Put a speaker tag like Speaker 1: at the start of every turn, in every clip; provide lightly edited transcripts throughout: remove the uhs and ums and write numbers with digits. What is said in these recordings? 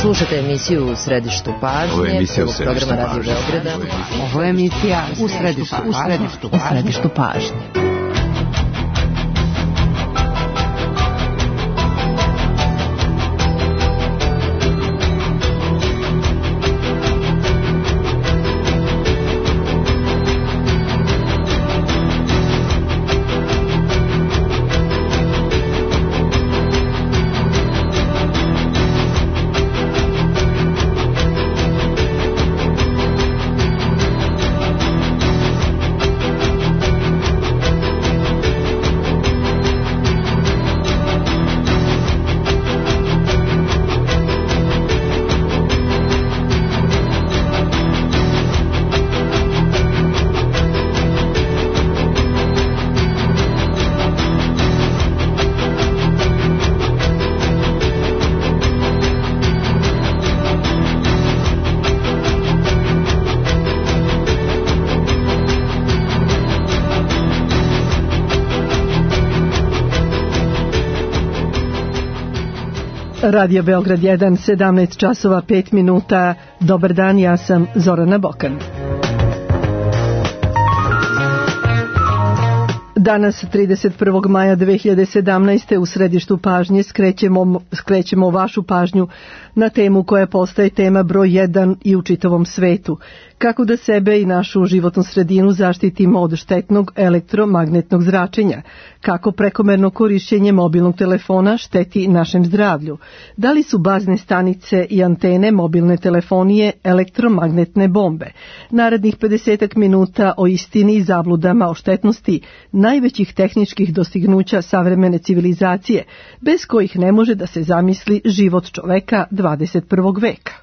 Speaker 1: Slušate emisiju U središtu pažnje, programa Radio Beograda.
Speaker 2: Ovo je emisija U središtu pažnje.
Speaker 3: Radio Beograd 1, 17 časova 5 minuta. Dobar dan, ja sam Zorana Bokan. Danas, 31. maja 2017. u središtu pažnje skrećemo vašu pažnju na temu koja postaje tema broj 1 i u čitavom svetu. Kako da sebe i našu životnu sredinu zaštitimo od štetnog elektromagnetnog zračenja? Kako prekomerno korišćenje mobilnog telefona šteti našem zdravlju? Da li su bazne stanice i antene mobilne telefonije elektromagnetne bombe? Narednih 50 minuta o istini i zabludama o štetnosti najvećih tehničkih dostignuća savremene civilizacije, bez kojih ne može da se zamisli život čoveka 21. veka.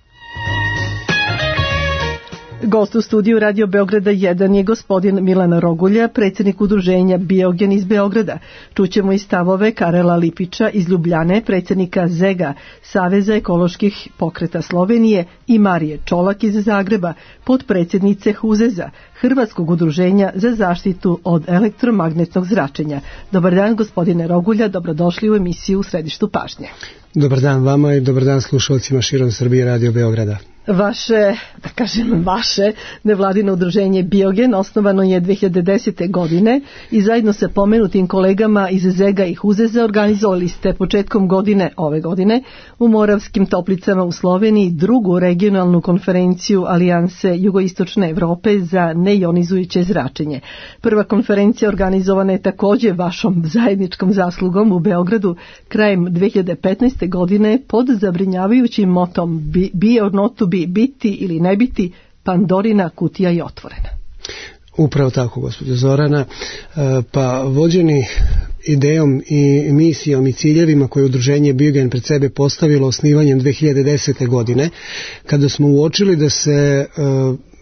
Speaker 3: Gost u studiju Radio Beograda 1 je gospodin Milan Rogulja, predsjednik udruženja Biogen iz Beograda. Čućemo i stavove Karela Lipića iz Ljubljane, predsjednika ZEGA, Saveza ekoloških pokreta Slovenije, i Marije Čolak iz Zagreba, potpredsjednice HUZEZ-a, Hrvatskog udruženja za zaštitu od elektromagnetnog zračenja. Dobar dan, gospodine Rogulja, dobrodošli u emisiju U središtu pažnje.
Speaker 4: Dobar dan vama i dobar dan slušalcima širom Srbije Radio Beograda. Vaše nevladino udruženje Biogen osnovano je 2010. godine i zajedno sa pomenutim kolegama iz ZEGA i HUZEZ-a organizovali ste početkom ove godine u Moravskim Toplicama u Sloveniji drugu regionalnu konferenciju Alijanse Jugoistočne Evrope za neionizujuće zračenje. Prva konferencija organizovana je također vašom zajedničkom zaslugom u Beogradu krajem 2015. godine pod zabrinjavajućim motom Be or not to be, biti ili ne biti, Pandorina kutija je otvorena. Upravo tako, gospođo Zorana. Pa vođeni idejom i misijom i ciljevima koje udruženje Biogen pred sebe postavilo osnivanjem 2010. godine, kada smo uočili da se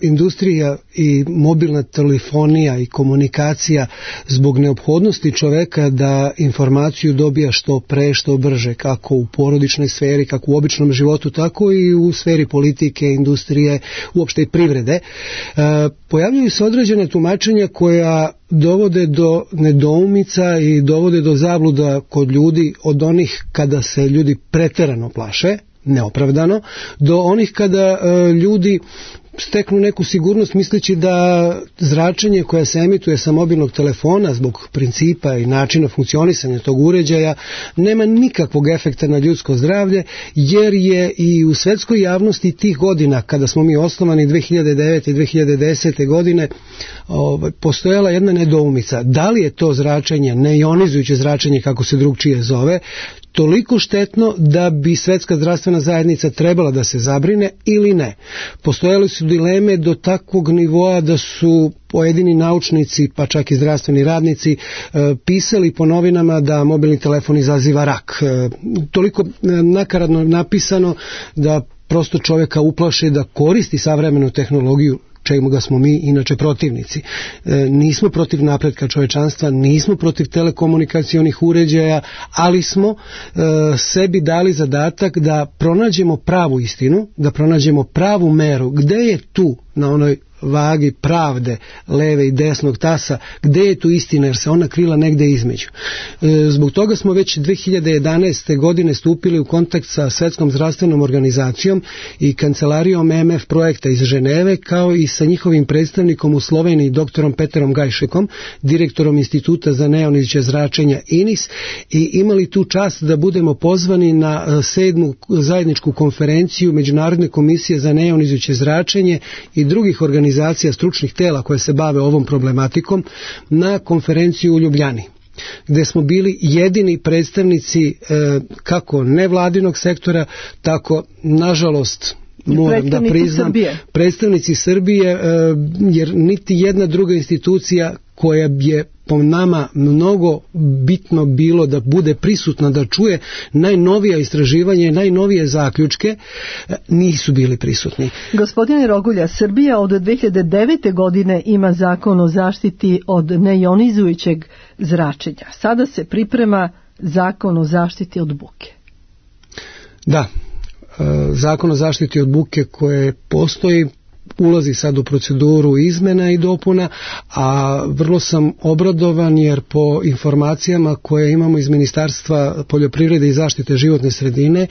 Speaker 4: industrija i mobilna telefonija i komunikacija zbog neophodnosti čoveka da informaciju dobija što pre, što brže, kako u porodičnoj sferi, kako u običnom životu, tako i u sferi politike, industrije, uopšte i privrede, pojavljuju se određene tumačenja koja dovode do nedoumica i dovode do zabluda kod ljudi, od onih kada se ljudi preterano plaše, neopravdano, do onih kada ljudi steknu neku sigurnost misleći da zračenje koje se emituje sa mobilnog telefona zbog principa i načina funkcionisanja tog uređaja nema nikakvog efekta na ljudsko zdravlje, jer je i u svetskoj javnosti tih godina, kada smo mi osnovani 2009. i 2010. godine, postojala jedna nedoumica. Da li je to zračenje, neionizujuće zračenje kako se drugčije zove, toliko štetno da bi Svetska zdravstvena zajednica trebala da se zabrine ili ne? Postojale su dileme do takvog nivoa da su pojedini naučnici, pa čak i zdravstveni radnici, pisali po novinama da mobilni telefon izaziva rak. Toliko nakaradno napisano da prosto čovjeka uplaše da koristi savremenu tehnologiju, čemu ga smo mi inače protivnici. Nismo protiv napretka čovečanstva, nismo protiv telekomunikacionih uređaja, ali smo sebi dali zadatak da pronađemo pravu istinu, da pronađemo pravu meru. Gde je tu na onoj
Speaker 5: vagi pravde leve i desnog tasa, gde je tu istina, jer se ona krila negde između. Zbog toga smo već 2011. godine stupili u kontakt sa Svetskom zdravstvenom organizacijom i kancelarijom MF projekta iz Ženeve, kao i sa njihovim predstavnikom u Sloveniji, doktorom Peterom Gajšekom, direktorom Instituta za neoniziće zračenja INIS, i imali tu čast da budemo pozvani na 7. zajedničku konferenciju Međunarodne komisije za neonizujuće zračenje i drugih organizacija stručnih tela koje se bave ovom problematikom na konferenciju u Ljubljani, gde smo bili jedini predstavnici kako nevladinog sektora, tako, nažalost, moram da priznam, predstavnici Srbije, jer niti jedna druga institucija koja je po nama mnogo bitno bilo da bude prisutna, da čuje najnovija istraživanja i najnovije zaključke, nisu bili prisutni.
Speaker 3: Gospodine Rogulja, Srbija od 2009. godine ima zakon o zaštiti od neionizujućeg zračenja. Sada se priprema zakon o zaštiti od buke.
Speaker 5: Da, zakon o zaštiti od buke koje postoji ulazi sad u proceduru izmena i dopuna, a vrlo sam obradovan jer po informacijama koje imamo iz Ministarstva poljoprivrede i zaštite životne sredine,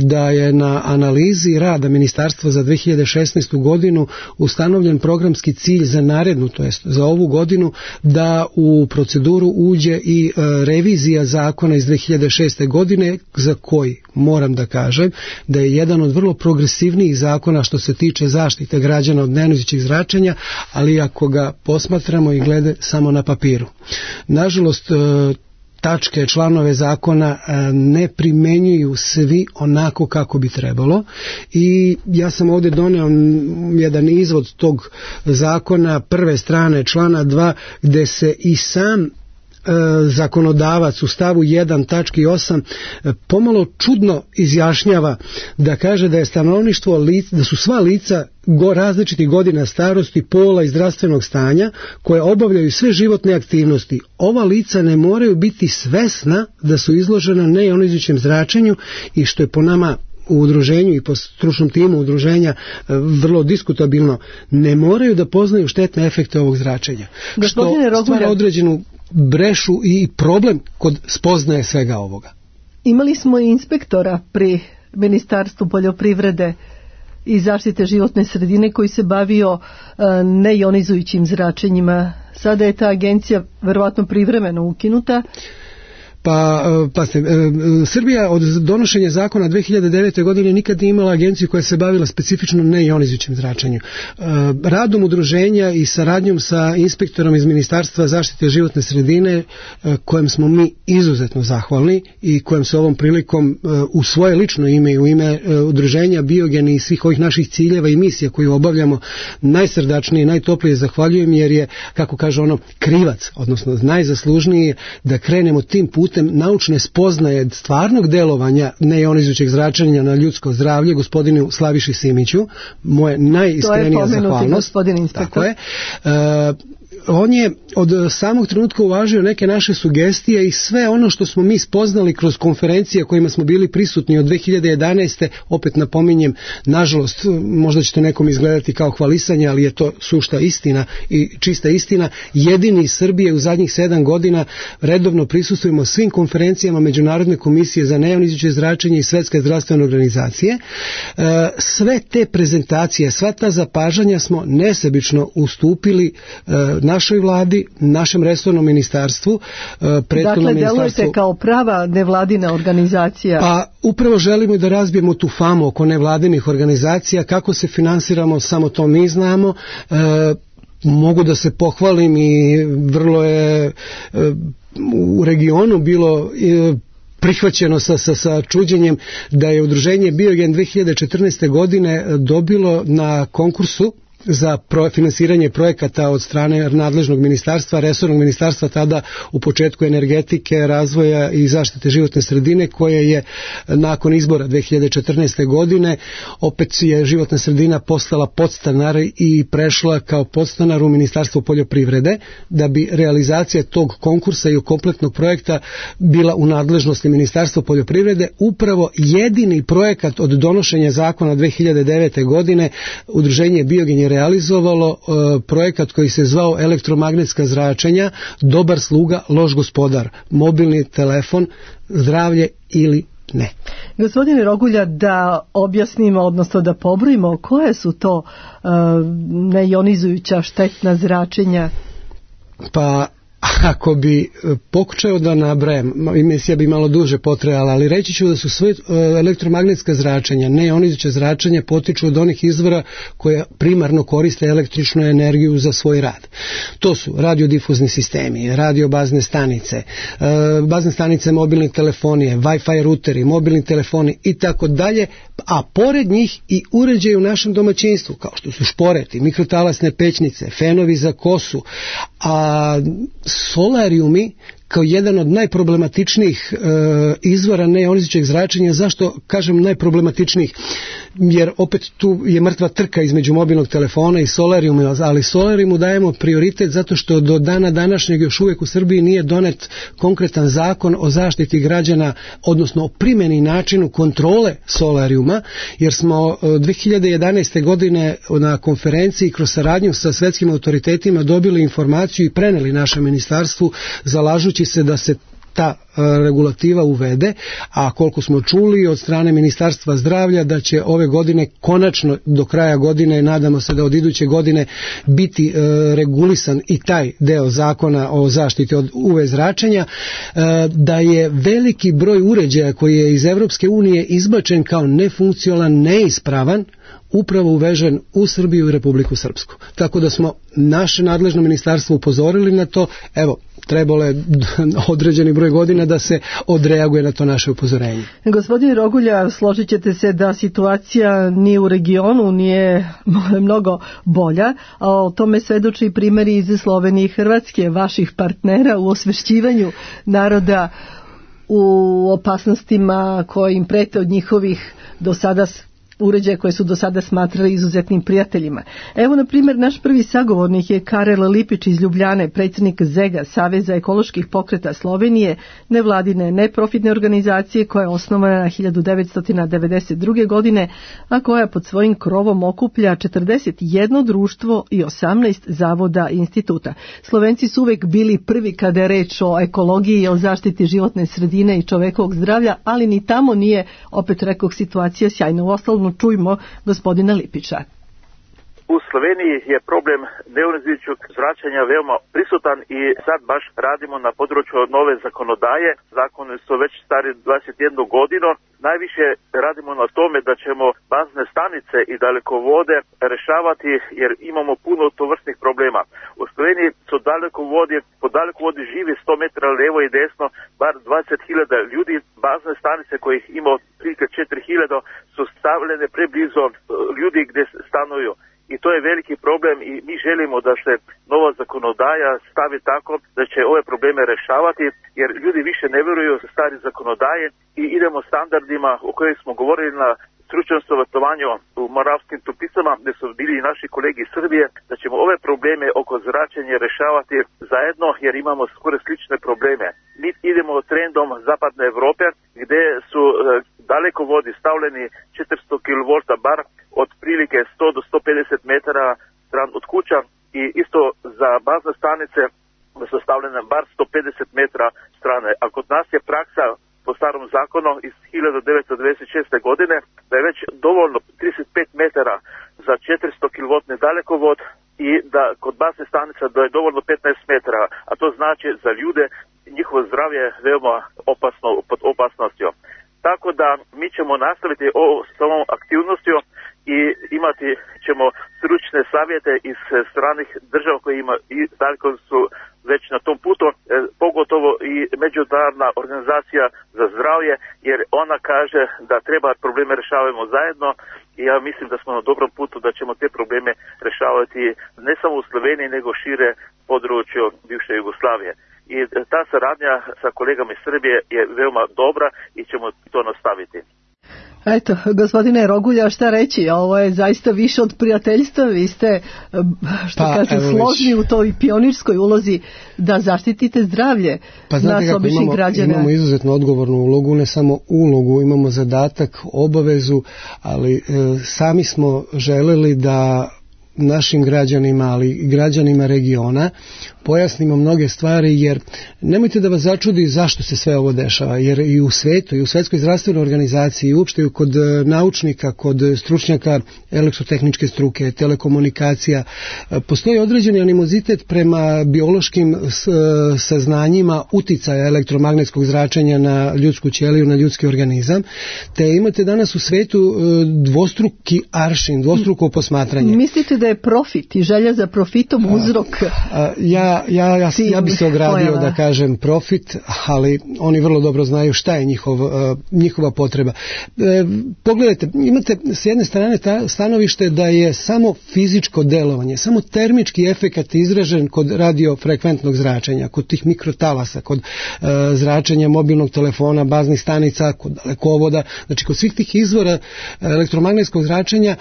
Speaker 5: da je na analizi rada Ministarstva za 2016. godinu ustanovljen programski cilj za narednu, to jest za ovu godinu, da u proceduru uđe i revizija zakona iz 2006. godine, za koji moram da kažem da je jedan od vrlo progresivnijih zakona što se tiče zaštite građana od neionizujućeg zračenja, ali ako ga posmatramo i glede samo na papiru. Nažalost, tačke, članove zakona ne primenjuju svi onako kako bi trebalo, i ja sam ovdje doneo jedan izvod tog zakona, prve strane člana 2, gde se i sam zakonodavac u stavu 1 tački 8 pomalo čudno izjašnjava, da kaže da je stanovništvo da su sva lica različitih godina starosti, pola i zdravstvenog stanja koje obavljaju sve životne aktivnosti. Ova lica ne moraju biti svesna da su izložena neionizujućem zračenju, i što je po nama u udruženju i po stručnom timu udruženja vrlo diskutabilno, ne moraju da poznaju štetne efekte ovog zračenja. Što stvara određenu brešu i problem kod spoznaje svega ovoga.
Speaker 3: Imali smo i inspektora pri Ministarstvu poljoprivrede i zaštite životne sredine koji se bavio neionizujućim zračenjima. Sada je ta agencija verovatno privremeno ukinuta.
Speaker 5: Pa Srbija od donošenja zakona 2009. godine nikad nije imala agenciju koja se bavila specifično neionizujućim zračenjem. Radom udruženja i saradnjom sa inspektorom iz Ministarstva zaštite životne sredine, kojem smo mi izuzetno zahvalni i kojem se ovom prilikom u svoje lično ime i u ime udruženja Biogen i svih ovih naših ciljeva i misija koju obavljamo najsrdačnije i najtoplije zahvaljujem, jer je, kako kaže ono, krivac, odnosno najzaslužniji da krenemo tim putem naučne spoznaje stvarnog delovanja neionizujućeg zračenja na ljudsko zdravlje, gospodinu Slaviši Simiću, moje najiskrenija zahvalnost. Tako je. On je od samog trenutka uvažio neke naše sugestije i sve ono što smo mi spoznali kroz konferencije kojima smo bili prisutni od 2011. Opet napominjem, nažalost, možda će to nekom izgledati kao hvalisanje, ali je to sušta istina i čista istina. Jedini iz Srbije u zadnjih 7 godina redovno prisustvujemo svim konferencijama Međunarodne komisije za neionizujuće zračenje i Svetske zdravstvene organizacije. Sve te prezentacije, sva ta zapažanja smo nesebično ustupili našoj vladi, našem resornom ministarstvu,
Speaker 3: Dakle, delujete kao prava nevladina organizacija.
Speaker 5: Pa upravo želimo da razbijemo tu famu oko nevladinih organizacija. Kako se finansiramo, samo to mi znamo. Mogu da se pohvalim i vrlo je u regionu bilo prihvaćeno sa čuđenjem da je udruženje Biogen 2014. godine dobilo na konkursu za finansiranje projekata od strane nadležnog ministarstva, resornog ministarstva tada u početku energetike, razvoja i zaštite životne sredine, koje je nakon izbora 2014. godine opet je životna sredina postala podstanar i prešla kao podstanar u Ministarstvo poljoprivrede, da bi realizacija tog konkursa i kompletnog projekta bila u nadležnosti Ministarstva poljoprivrede. Upravo jedini projekat od donošenja zakona 2009. godine udruženje Biogen je je realizovalo projekat koji se zvao elektromagnetska zračenja, dobar sluga, loš gospodar, mobilni telefon, zdravlje ili ne.
Speaker 3: Gospodine Rogulja, da objasnimo, odnosno da pobrojimo koje su to neionizujuća štetna zračenja?
Speaker 5: Pa ako bi pokušao da nabrajam, emisija bi malo duže potrajala, ali reći ću da su sve elektromagnetska zračenja, neionizujuća zračenja, potiču od onih izvora koja primarno koriste električnu energiju za svoj rad. To su radiodifuzni sistemi, radiobazne stanice mobilne telefonije, Wi-Fi ruteri, mobilni telefoni i tako dalje, a pored njih i uređaji u našem domaćinstvu, kao što su šporeti, mikrotalasne pećnice, fenovi za kosu, a solarijumi kao jedan od najproblematičnijih izvora neionizujućeg zračenja. Zašto kažem najproblematičnijih? Jer opet tu je mrtva trka između mobilnog telefona i solarijuma, ali solarijumu dajemo prioritet zato što do dana današnjeg još uvijek u Srbiji nije donet konkretan zakon o zaštiti građana, odnosno o primjeni načinu kontrole solarijuma, jer smo 2011. godine na konferenciji kroz saradnju sa svjetskim autoritetima dobili informaciju i preneli našem ministarstvu, zalažući se da se ta regulativa uvede, a koliko smo čuli od strane Ministarstva zdravlja da će ove godine, konačno do kraja godine, nadamo se da od iduće godine biti regulisan i taj deo zakona o zaštiti od UV zračenja, da je veliki broj uređaja koji je iz Europske unije izbačen kao nefunkcionalan, neispravan, upravo uvežen u Srbiju i Republiku Srpsku. Tako da smo naše nadležno ministarstvo upozorili na to, evo, trebalo je određeni broj godina da se odreaguje na to naše upozorenje.
Speaker 3: Gospodine Rogulja, složit ćete se da situacija ni u regionu nije mnogo bolja, a o tome svedoči i primjeri iz Slovenije i Hrvatske, vaših partnera u osvešćivanju naroda u opasnostima koje im prete od njihovih do sada uređaje koje su do sada smatrali izuzetnim prijateljima. Evo, na primjer, naš prvi sagovornik je Karel Lipić iz Ljubljane, predsjednik ZEGA, Saveza ekoloških pokreta Slovenije, nevladine neprofitne organizacije koja je osnovana 1992. godine, a koja pod svojim krovom okuplja 41 društvo i 18 zavoda i instituta. Slovenci su uvijek bili prvi kada je reč o ekologiji i o zaštiti životne sredine i čovekovog zdravlja, ali ni tamo nije, opet rekoh, situacija sjajna. Uostalom, čujmo gospodina Lipića.
Speaker 6: U Sloveniji je problem neionizujućeg zračenja veoma prisutan i sad baš radimo na području nove zakonodaje. Zakoni su već stari 21 godinu. Najviše radimo na tome da ćemo bazne stanice i dalekovode rešavati jer imamo puno tovrstnih problema. U Sloveniji su po dalekovodi živi 100 metara levo i desno bar 20.000 ljudi. Bazne stanice kojih ima otprilike 4.000 su stavljene preblizu ljudi gdje stanuju. I to je veliki problem i mi želimo da se nova zakonodaja stavi tako da će ove probleme rešavati, jer ljudi više ne vjeruju stari zakonodaje i idemo standardima o kojih smo govorili na stručnom savjetovanju u Moravskim Toplicama, gdje su bili i naši kolegi iz Srbije, da ćemo ove probleme oko zračenja rešavati zajedno, jer imamo skoro slične probleme. Mi idemo trendom zapadne Evrope, gdje su dalekovodi stavljeni 400 kV bar od prilike 100 do 150 metara stran od kuća i isto za bazne stanice su stavljene bar 150 metara strane. A kod nas je praksa po starom zakonu iz 1996. godine da je već dovoljno 35 metara za 400 kV dalekovod i da kod bazne stanice da je dovoljno 15 metara, a to znači za ljude njihovo zdravlje je veoma opasno, pod opasnostjo. Tako da mi ćemo nastaviti s ovom aktivnostjo i imati ćemo stručne savjete iz stranih država koji ima i daleko su već na tom putu, pogotovo i Međunarodna organizacija za zdravlje, jer ona kaže da treba probleme rešavamo zajedno i ja mislim da smo na dobrom putu da ćemo te probleme rešavati ne samo u Sloveniji nego šire području bivše Jugoslavije. I ta saradnja sa kolegama iz Srbije je veoma dobra i ćemo to nastaviti.
Speaker 3: Eto, gospodine Rogulja, šta reći? Ovo je zaista više od prijateljstva. Vi ste, složni u toj pionirskoj ulozi da zaštitite zdravlje nas običnih građana.
Speaker 5: Imamo izuzetno odgovornu ulogu, ne samo ulogu, imamo zadatak, obavezu, ali sami smo želeli da našim građanima, ali i građanima regiona pojasnimo mnoge stvari, jer nemojte da vas začudi zašto se sve ovo dešava, jer i u svetu, i u Svetskoj zdravstvenoj organizaciji, i uopšte kod naučnika, kod stručnjaka elektrotehničke struke, telekomunikacija, postoji određeni animozitet prema biološkim saznanjima uticaja elektromagnetskog zračenja na ljudsku ćeliju, na ljudski organizam, te imate danas u svetu dvostruki aršin, dvostruko posmatranje.
Speaker 3: Mislite da je profit i želja za profitom uzrok?
Speaker 5: Ja bi se ogradio da kažem profit, ali oni vrlo dobro znaju šta je njihova potreba. Pogledajte, imate s jedne strane stanovište da je samo fizičko delovanje, samo termički efekat izražen kod radiofrekventnog zračenja, kod tih mikrotalasa, kod zračenja mobilnog telefona, baznih stanica, kod dalekovoda, znači kod svih tih izvora elektromagnetskog zračenja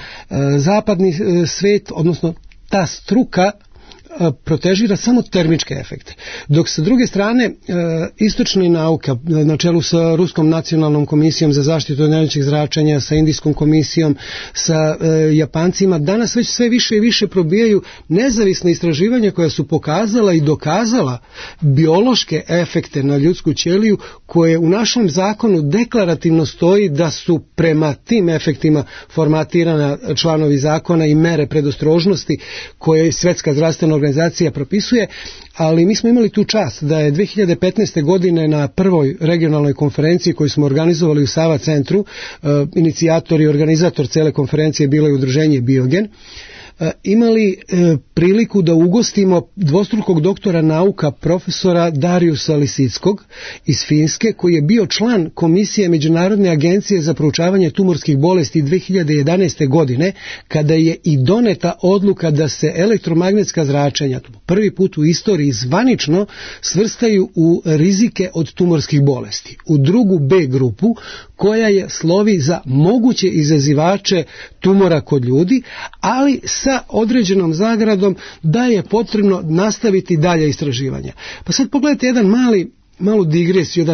Speaker 5: zapadni svet, odnosno ta struka protežira samo termičke efekte. Dok sa druge strane istočna nauka na čelu sa Ruskom nacionalnom komisijom za zaštitu od najvećih zračenja, sa Indijskom komisijom, sa Japancima, danas već sve više i više probijaju nezavisne istraživanja koja su pokazala i dokazala biološke efekte na ljudsku ćeliju, koje u našem zakonu deklarativno stoji da su prema tim efektima formatirana članovi zakona i mere predostrožnosti koje Svetska zdravstvena organizacija propisuje, ali mi smo imali tu čast da je 2015. godine na prvoj regionalnoj konferenciji koju smo organizovali u Sava centru, inicijator i organizator cele konferencije bilo je udruženje Biogen, imali priliku da ugostimo dvostrukog doktora nauka profesora Dariusa Lisickog iz Finske, koji je bio član Komisije Međunarodne agencije za proučavanje tumorskih bolesti 2011. godine, kada je i doneta odluka da se elektromagnetska zračenja prvi put u istoriji zvanično svrstaju u rizike od tumorskih bolesti, u drugu B grupu, koja je slovi za moguće izazivače tumora kod ljudi, ali sa određenom zagradom da je potrebno nastaviti dalje istraživanja. Pa sad pogledajte jedan malu digresiju,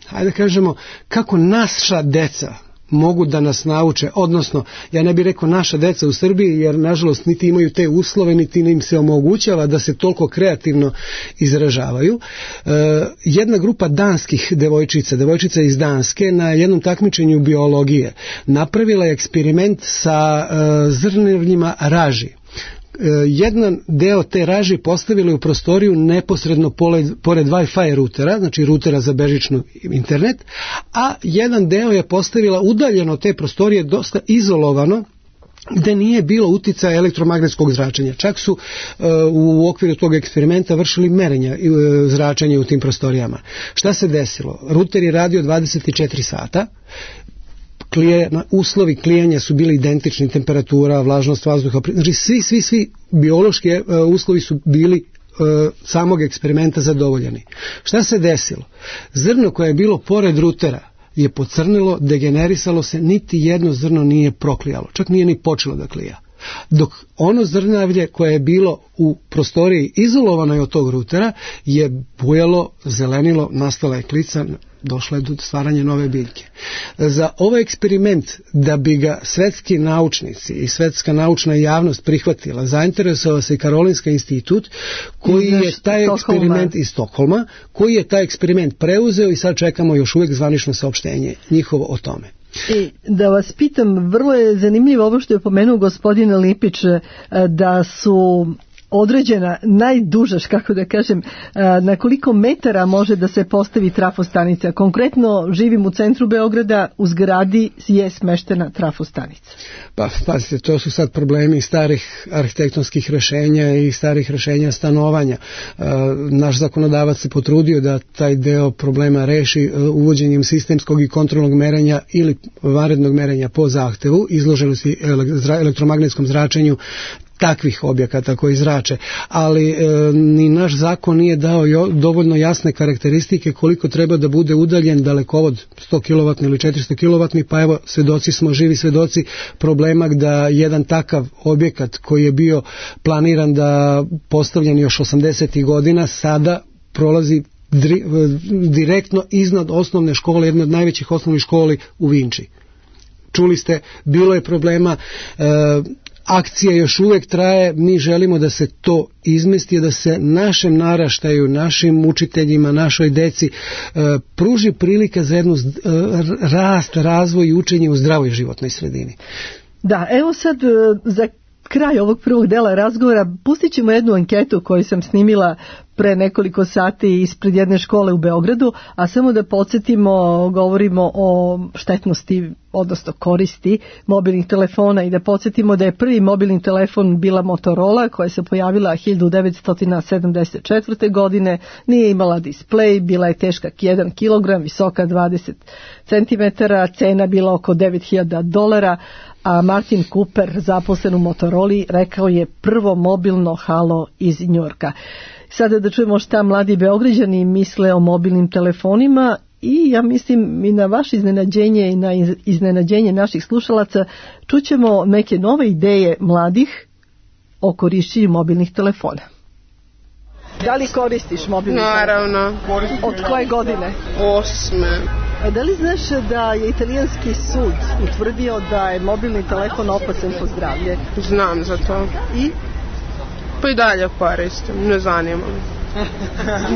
Speaker 5: hajde da kažemo, kako naša deca mogu da nas nauče, odnosno, ja ne bih rekao naša deca u Srbiji, jer nažalost niti imaju te uslove, niti im se omogućava da se toliko kreativno izražavaju. Jedna grupa danskih devojčica iz Danske, na jednom takmičenju biologije napravila je eksperiment sa zrnevljima raži. Jedan deo te raži postavili u prostoriju neposredno pored Wi-Fi rutera, znači rutera za bežični internet, a jedan deo je postavila udaljeno od te prostorije, dosta izolovano, gde nije bilo uticaja elektromagnetskog zračenja. Čak su u okviru tog eksperimenta vršili merenja zračenja u tim prostorijama. Šta se desilo? Ruter je radio 24 sata, uslovi klijanja su bili identični, temperatura, vlažnost vazduha, znači svi biološki uslovi su bili samog eksperimenta zadovoljeni. Šta se desilo? Zrno koje je bilo pored rutera je pocrnilo, degenerisalo se, niti jedno zrno nije proklijalo, čak nije ni počelo da klija. Dok ono zrnavlje koje je bilo u prostoriji izolovano od tog rutera je bujalo, zelenilo, nastala je klica, došla je do stvaranja nove biljke. Za ovaj eksperiment, da bi ga svetski naučnici i svetska naučna javnost prihvatila, zainteresovao se i Karolinski institut, koji je taj eksperiment iz Stokholma, koji je taj eksperiment preuzeo i sad čekamo još uvijek zvanično saopštenje njihovo o tome.
Speaker 3: Da vas pitam, vrlo je zanimljivo ovo što je pomenuo gospodin Lipić, da su određena najduža, kako da kažem, na koliko metara može da se postavi trafostanica. Konkretno živim u centru Beograda, u zgradi je smeštena trafostanica.
Speaker 5: Pa, pazite, to su sad problemi starih arhitektonskih rešenja i starih rešenja stanovanja. Naš zakonodavac se potrudio da taj deo problema reši uvođenjem sistemskog i kontrolnog merenja ili vanrednog merenja po zahtevu, izloženosti elektromagnetskom zračenju takvih objekata koji zrače, ali ni naš zakon nije dao dovoljno jasne karakteristike koliko treba da bude udaljen dalekovod 100 kW ili 400 kW, pa evo živi svedoci problema da jedan takav objekat koji je bio planiran da postavljen još 80. godina sada prolazi direktno iznad osnovne škole, jedne od najvećih osnovnih školi u Vinči. Čuli ste, bilo je problema akcija još uvijek traje, mi želimo da se to izmesti, da se našem naraštaju, našim učiteljima, našoj deci pruži prilika za jednu rast, razvoj i učenje u zdravoj životnoj sredini.
Speaker 3: Da, evo sad za kraj ovog prvog dela razgovora pustit ćemo jednu anketu koju sam snimila pre nekoliko sati ispred jedne škole u Beogradu, a samo da podsjetimo, govorimo o štetnosti, odnosno koristi mobilnih telefona i da podsjetimo da je prvi mobilni telefon bila Motorola koja se pojavila 1974. godine, nije imala displej, bila je teška 1 kg, visoka 20 cm, cena bila oko $9.000, a Martin Cooper, zaposlen u Motoroli, rekao je prvo mobilno halo iz Njujorka. Sada da čujemo šta mladi Beograđani misle o mobilnim telefonima i ja mislim i na vaše iznenađenje i na iznenađenje naših slušalaca čućemo neke nove ideje mladih o korišćenju mobilnih telefona. Da li koristiš mobilni telefon?
Speaker 7: Naravno.
Speaker 3: Od koje godine?
Speaker 7: 8.
Speaker 3: A da li znaš da je italijanski sud utvrdio da je mobilni telefon opasan po zdravlje?
Speaker 7: Znam za to.
Speaker 3: I?
Speaker 7: Pa i dalje koristim, ne zanima me.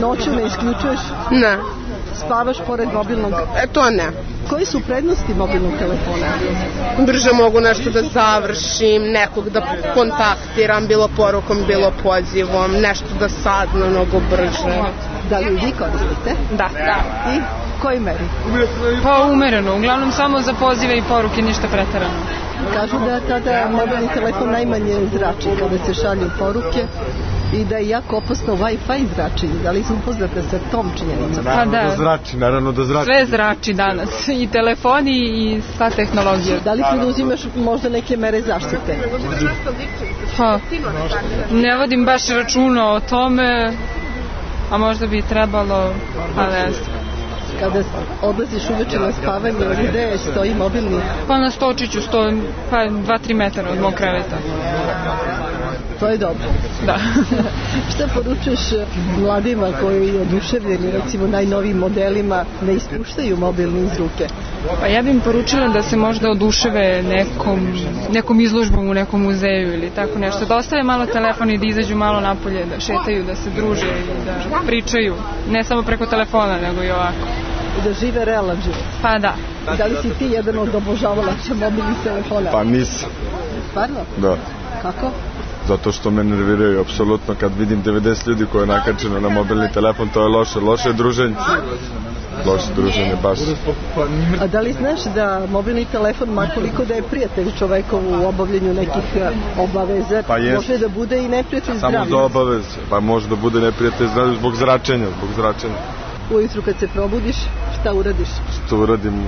Speaker 3: Noću ne isključuješ?
Speaker 7: Ne.
Speaker 3: Spavaš pored mobilnog?
Speaker 7: To ne.
Speaker 3: Koji su prednosti mobilnog telefona?
Speaker 7: Brže mogu nešto da završim, nekog da kontaktiram, bilo porukom, bilo pozivom, nešto da sadno mnogo brže.
Speaker 3: Da li vi koristite?
Speaker 7: Da.
Speaker 3: I koji meri?
Speaker 8: Pa umereno, uglavnom samo za pozive i poruke, ništa preterano.
Speaker 3: Kažu da tada mobilni telefon najmanje zrači kada se šalju poruke i da je jako opasno Wi-Fi zračenje. Da li su upoznate sa tom činjenicom?
Speaker 8: Pa da.
Speaker 9: Naravno da zrači.
Speaker 8: Sve zrači danas, i telefoni i sva tehnologija.
Speaker 3: Da li preduzimaš možda neke mere zaštite?
Speaker 8: Pa, ne vodim baš računa o tome, a možda bi trebalo, pa ne znam.
Speaker 3: Kada odlaziš uveče na spavanje, gde stoji mobilni?
Speaker 8: Pa na stočiću stoji, pa 2-3 metara od mog kreveta.
Speaker 3: To je dobro.
Speaker 8: Da.
Speaker 3: Šta poručuješ mladima koji oduševljeni recimo najnovijim modelima ne ispuštaju mobilni iz ruke?
Speaker 8: Pa ja bih im poručila da se možda oduševe nekom izložbom u nekom muzeju ili tako nešto. Da ostave malo telefon i da izađu malo napolje, da šetaju, da se druže i da pričaju. Ne samo preko telefona, nego i ovako.
Speaker 3: I da žive realan život.
Speaker 8: Pa da.
Speaker 3: Da li si ti jedan od obožavalaca mobilnih telefona?
Speaker 9: Pa nisam.
Speaker 3: Stvarno?
Speaker 9: Da.
Speaker 3: Kako?
Speaker 9: Zato što me nerviraju, apsolutno, kad vidim 90 ljudi koje je nakačeno na mobilni telefon, to je loše druženje. Loše druženje, baš.
Speaker 3: A da li znaš da mobilni telefon, makoliko da je prijatelj čoveku u obavljanju nekih obaveza,
Speaker 9: pa
Speaker 3: može da bude i neprijatelj zdravlja?
Speaker 9: Samo za obaveze, pa može da bude neprijatelj zdravlja zbog zračenja.
Speaker 3: Ujutru kad se probudiš, šta uradiš?
Speaker 9: Što uradim?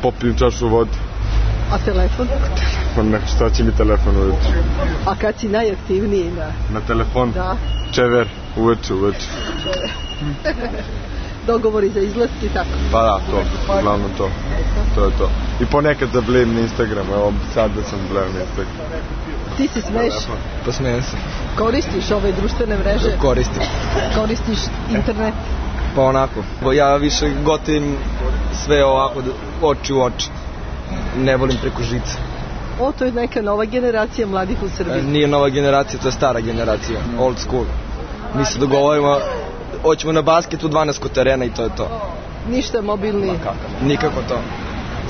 Speaker 9: Popijem čašu vode.
Speaker 3: A telefon?
Speaker 9: Šta će mi telefon ujutru?
Speaker 3: A kad si najaktivniji
Speaker 9: na telefon?
Speaker 3: Da.
Speaker 9: Čever, uveče.
Speaker 3: Dogovori za izlazci, tako?
Speaker 9: Pa da, uglavnom to. To je to. I ponekad zablejim na Instagram, evo sad da sam zablejim na Instagram.
Speaker 3: Ti se smeješ?
Speaker 10: Pa smijem se.
Speaker 3: Koristiš ove društvene mreže?
Speaker 10: Koristim.
Speaker 3: Koristiš internet?
Speaker 10: Pa onako. Ja više gotivim sve ovako oči u oči. Ne volim preko žice.
Speaker 3: To je neka nova generacija mladih u Srbiji.
Speaker 10: Nije nova generacija, to je stara generacija, old school. Mi se dogovorimo, hoćemo na basket u 12 terena i to je to.
Speaker 3: Ništa mobilni?
Speaker 10: Nikako to.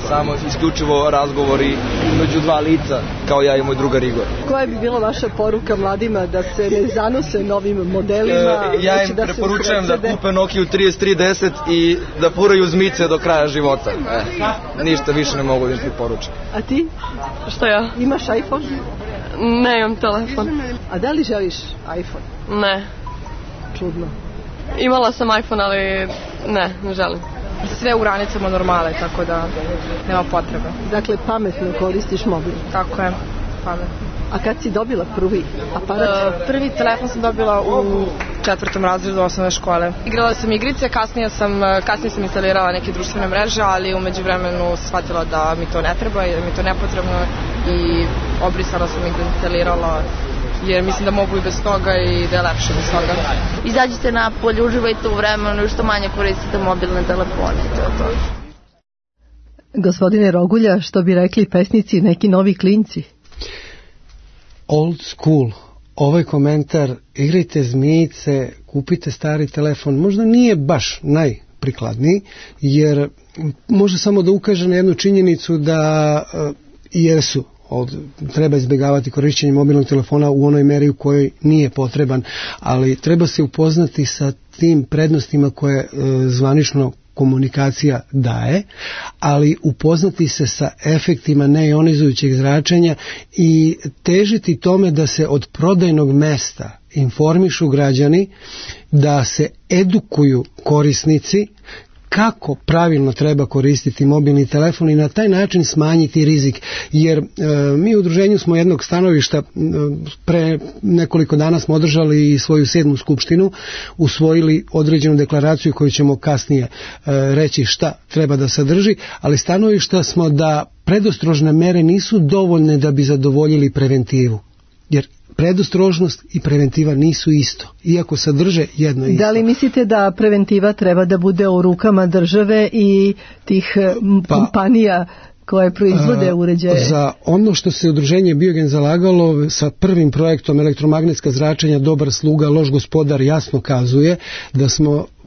Speaker 10: Samo isključivo razgovori među dva lica, kao ja i moj drugar Igor.
Speaker 3: Koja bi bila vaša poruka mladima da se ne zanose novim modelima?
Speaker 10: Ja im preporučujem da kupe Nokia 3310 i da furaju zmice do kraja života. Ništa više ne mogu da im preporučim.
Speaker 3: A ti?
Speaker 7: Šta ja?
Speaker 3: Imaš iPhone?
Speaker 7: Ne imam telefon.
Speaker 3: A da li želiš iPhone?
Speaker 7: Ne.
Speaker 3: Čudno.
Speaker 7: Imala sam iPhone, ali ne želim. Sve u granicama normale, tako da nema potrebe.
Speaker 3: Dakle, pametno koristiš mobil.
Speaker 7: Tako je, pametno.
Speaker 3: A kad si dobila prvi aparat?
Speaker 7: Prvi telefon sam dobila u 4. razredu osnovne škole. Igrala sam igrice, kasnije sam instalirala neke društvene mreže, ali u međuvremenu shvatila da mi to ne treba i da mi to nepotrebno i obrisala sam ih, deinstalirala, jer mislim da mogu i bez toga i da je lepše bez toga.
Speaker 11: Izađite napolje, uživajte u vremenu i što manje koristite mobilne telefone. To.
Speaker 3: Gospodine Rogulja, što bi rekli pesnici, neki novi klinci?
Speaker 5: old school. Ovaj komentar, igrajte zmijice, kupite stari telefon, možda nije baš najprikladniji, jer može samo da ukaže na jednu činjenicu da jesu treba izbjegavati korišćenje mobilnog telefona u onoj meri u kojoj nije potreban, ali treba se upoznati sa tim prednostima koje zvanično komunikacija daje, ali upoznati se sa efektima neionizujućeg zračenja i težiti tome da se od prodajnog mesta informišu građani, da se edukuju korisnici kako pravilno treba koristiti mobilni telefon i na taj način smanjiti rizik. Jer mi u udruženju smo jednog stanovišta, pre nekoliko dana smo održali i svoju 7. skupštinu, usvojili određenu deklaraciju koju ćemo kasnije reći šta treba da sadrži, ali stanovišta smo da predostrožne mere nisu dovoljne da bi zadovoljili preventivu. Jer predostrožnost i preventiva nisu isto, iako sadrže jedno isto.
Speaker 3: Da li mislite da preventiva treba da bude u rukama države i tih kompanija koje proizvode uređaje?
Speaker 5: Za ono što se udruženje Biogen zalagalo sa prvim projektom elektromagnetska zračenja dobar sluga, loš gospodar jasno kazuje da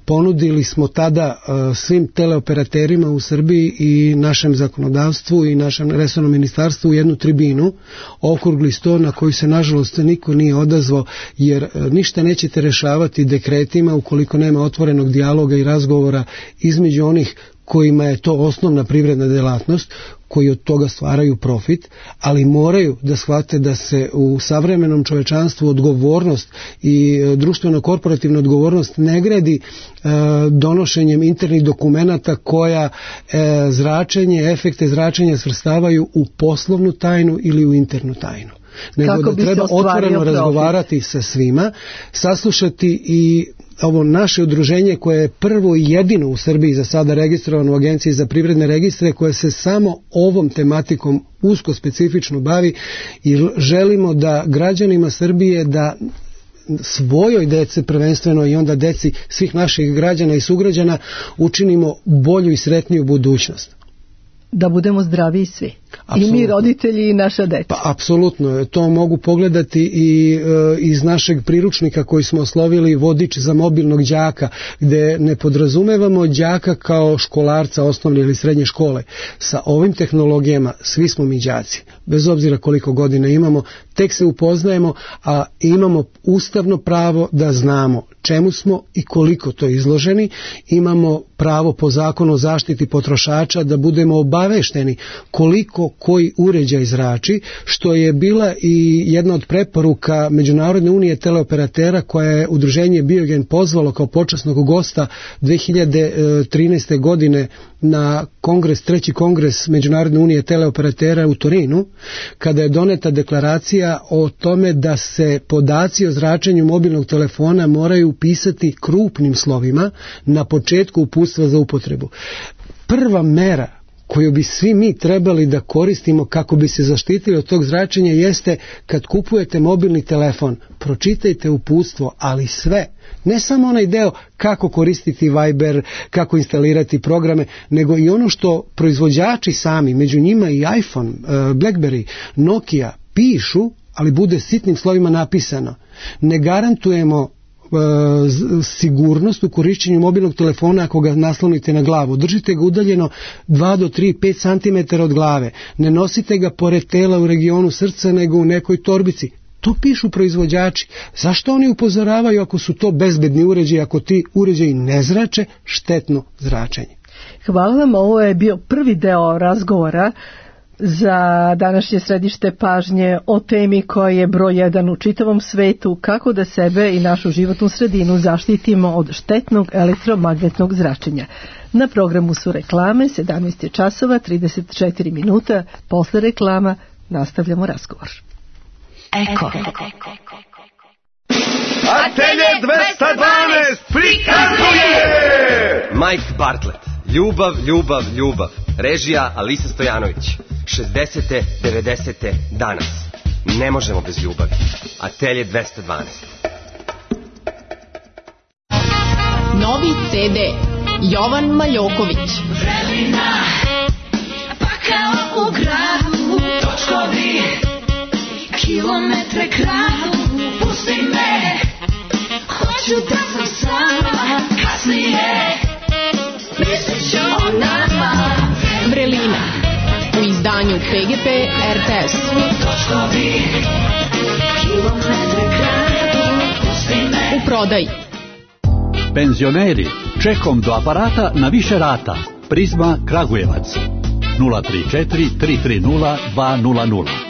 Speaker 5: ponudili smo tada svim teleoperaterima u Srbiji i našem zakonodavstvu i našem resornom ministarstvu jednu tribinu, okrugli sto na koji se nažalost niko nije odazvao, jer ništa nećete rešavati dekretima ukoliko nema otvorenog dijaloga i razgovora između onih kojima je to osnovna privredna delatnost, koji od toga stvaraju profit, ali moraju da shvate da se u savremenom čovečanstvu odgovornost i društveno-korporativna odgovornost ne gradi donošenjem internih dokumenata koja efekte zračenja svrstavaju u poslovnu tajnu ili u internu tajnu. Nego da treba otvoreno razgovarati sa svima, saslušati i ovo naše udruženje koje je prvo i jedino u Srbiji za sada registrovano u Agenciji za privredne registre, koje se samo ovom tematikom usko specifično bavi i želimo da građanima Srbije, da svojoj dece prvenstveno i onda deci svih naših građana i sugrađana učinimo bolju i sretniju budućnost.
Speaker 3: Da budemo zdravi svi. Apsolutno. I mi roditelji i naša deca.
Speaker 5: Pa apsolutno, to mogu pogledati i iz našeg priručnika koji smo oslovili Vodič za mobilnog đaka, gde ne podrazumevamo đaka kao školarca osnovne ili srednje škole. Sa ovim tehnologijama svi smo mi đaci, bez obzira koliko godina imamo, tek se upoznajemo, a imamo ustavno pravo da znamo čemu smo i koliko to izloženi, imamo pravo po zakonu o zaštiti potrošača da budemo obavešteni koliko koji uređaj zrači, što je bila i jedna od preporuka Međunarodne unije teleoperatera koja je udruženje Biogen pozvalo kao počasnog gosta 2013. godine na treći kongres Međunarodne unije teleoperatera u Torinu, kada je doneta deklaracija o tome da se podaci o zračenju mobilnog telefona moraju upisati krupnim slovima na početku uputstva za upotrebu. Prva mera koju bi svi mi trebali da koristimo kako bi se zaštitili od tog zračenja jeste kad kupujete mobilni telefon, pročitajte uputstvo, ali sve. Ne samo onaj deo kako koristiti Viber, kako instalirati programe, nego i ono što proizvođači sami, među njima i iPhone, BlackBerry, Nokia, pišu, ali bude sitnim slovima napisano. Ne garantujemo sigurnost u korišćenju mobilnog telefona ako ga naslonite na glavu. Držite ga udaljeno 2 do 3, 5 cm od glave. Ne nosite ga pored tela u regionu srca, nego u nekoj torbici. To pišu proizvođači. Zašto oni upozoravaju ako su to bezbedni uređaji, ako ti uređaji ne zrače štetno zračenje?
Speaker 3: Hvala vam, ovo je bio prvi deo razgovora za današnje središte pažnje o temi koja je broj 1 u čitavom svetu, kako da sebe i našu životnu sredinu zaštitimo od štetnog elektromagnetnog zračenja. Na programu su reklame, 17 časova, 34 minuta. Posle reklama nastavljamo razgovor.
Speaker 12: Eko. Atelje 212 prikazuje
Speaker 13: Mike Bartlett. Ljubav, ljubav, ljubav. Režija Alisa Stojanović. 60. 90. danas. Ne možemo bez ljubavi. Atelje 212.
Speaker 14: Novi CD Jovan Maljoković.
Speaker 12: Vremena, pa kao u gradu, točkovi, kilo Kilometre kradu, pusti me, hoću da sam sama, kasnije mislit ću o nama.
Speaker 14: Vrelina u izdanju PGP RTS.
Speaker 12: Točkovi, kilometre kradu, pusti me.
Speaker 14: U prodaji.
Speaker 15: Penzioneri, čekom do aparata na više rata. Prizma Kragujevac 034 330 200.